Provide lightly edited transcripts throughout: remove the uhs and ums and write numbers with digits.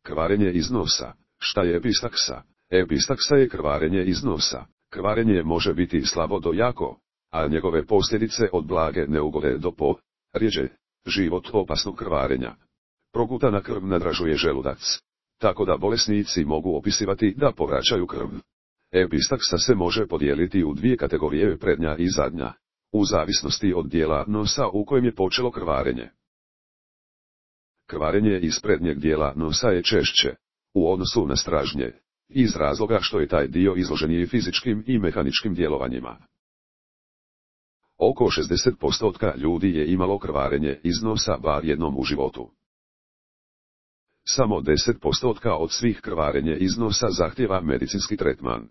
Krvarenje iz nosa. Šta je epistaksa? Epistaksa je krvarenje iz nosa. Krvarenje može biti slabo do jako, a njegove posljedice od blage neugode do rjeđe, život opasnog krvarenja. Progutana krv nadražuje želudac, tako da bolesnici mogu opisivati da povraćaju krv. Epistaksa se može podijeliti u dvije kategorije, prednja i zadnja, u zavisnosti od dijela nosa u kojem je počelo krvarenje. Krvarenje iz prednjeg dijela nosa je češće, u odnosu na stražnje, iz razloga što je taj dio izloženiji fizičkim i mehaničkim djelovanjima. Oko 60% ljudi je imalo krvarenje iz nosa bar jednom u životu. Samo 10% od svih krvarenja iz nosa zahtijeva medicinski tretman.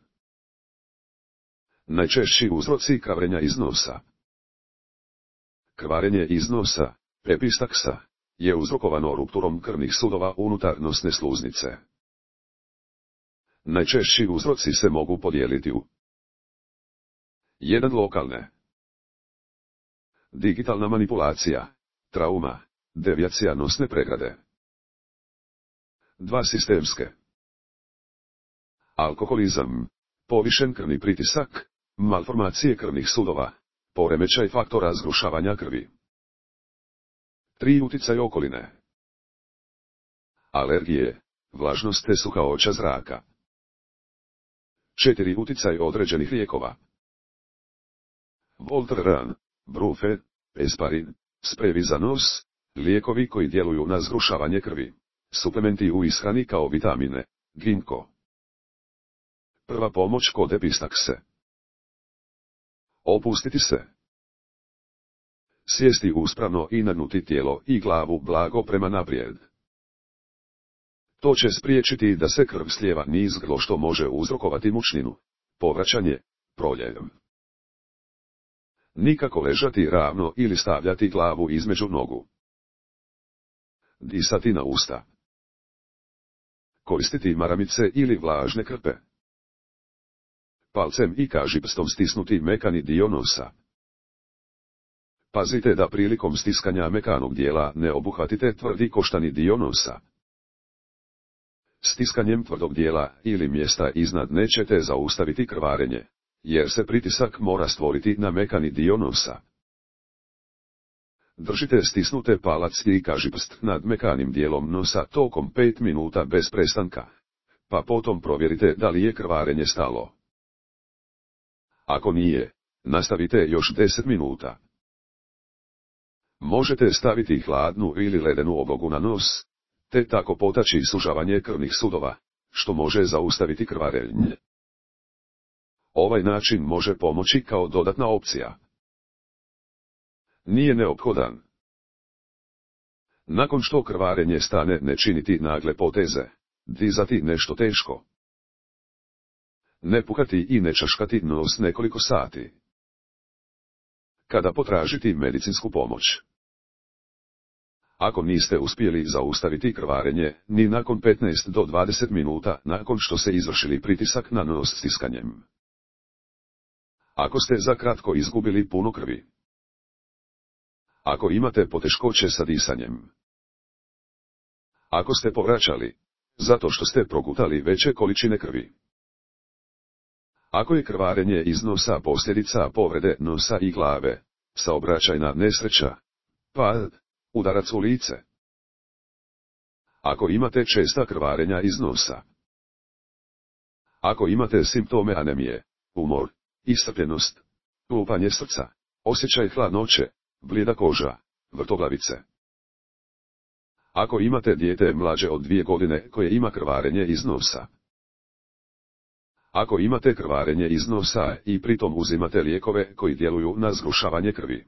Najčešći uzroci krvarenja iz nosa. Krvarenje iz nosa, epistaksa, je uzrokovano rupturom krvnih sudova unutar nosne sluznice. Najčešći uzroci se mogu podijeliti u 1. Lokalne. Digitalna manipulacija, trauma, devijacija nosne pregrade. 2. Sistemske. Alkoholizam, povišen krvni pritisak, malformacije krvnih sudova, poremećaj faktora zgrušavanja krvi. 3. Uticaj okoline. Alergije, vlažnost te suhaoća zraka. 4. Uticaj određenih lijekova. Voltaren, brufe, esparin, sprejevi za nos, lijekovi koji djeluju na zgrušavanje krvi, suplementi u ishrani kao vitamine, ginko. Prva pomoć kod epistakse. Opustiti se. Sjesti uspravno i nagnuti tijelo i glavu blago prema naprijed. To će spriječiti da se krv slijeva niz grlo što može uzrokovati mučninu, povraćanje, proljev. Nikako ležati ravno ili stavljati glavu između nogu. Disati na usta. Koristiti maramice ili vlažne krpe. Palcem i kažipstom stisnuti mekani dio nosa. Pazite da prilikom stiskanja mekanog dijela ne obuhvatite tvrdi koštani dio nosa. Stiskanjem tvrdog dijela ili mjesta iznad nećete zaustaviti krvarenje, jer se pritisak mora stvoriti na mekani dio nosa. Držite stisnute palac i kažipst nad mekanim dijelom nosa tokom 5 minuta bez prestanka, pa potom provjerite da li je krvarenje stalo. Ako nije, nastavite još 10 minuta. Možete staviti hladnu ili ledenu oblogu na nos, te tako potaći sužavanje krvnih sudova, što može zaustaviti krvarenje. Ovaj način može pomoći kao dodatna opcija. Nije neophodan. Nakon što krvarenje stane, ne činiti nagle poteze, dizati nešto teško. Ne pukati i ne čaškati nos nekoliko sati. Kada potražiti medicinsku pomoć. Ako niste uspjeli zaustaviti krvarenje, ni nakon 15 do 20 minuta nakon što ste izvršili pritisak na nos stiskanjem. Ako ste za kratko izgubili puno krvi. Ako imate poteškoće sa disanjem. Ako ste povraćali, zato što ste progutali veće količine krvi. Ako je krvarenje iz nosa posljedica povrede nosa i glave, saobraćajna nesreća, pad, udarac u lice. Ako imate česta krvarenja iz nosa. Ako imate simptome anemije, umor, iscrpljenost, lupanje srca, osjećaj hladnoće, blijeda koža, vrtoglavice. Ako imate dijete mlađe od 2 godine koje ima krvarenje iz nosa. Ako imate krvarenje iz nosa i pritom uzimate lijekove koji djeluju na zgrušavanje krvi.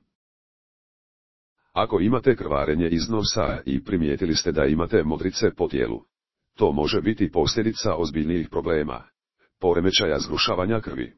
Ako imate krvarenje iz nosa i primijetili ste da imate modrice po tijelu, to može biti posljedica ozbiljnijih problema, poremećaja zgrušavanja krvi.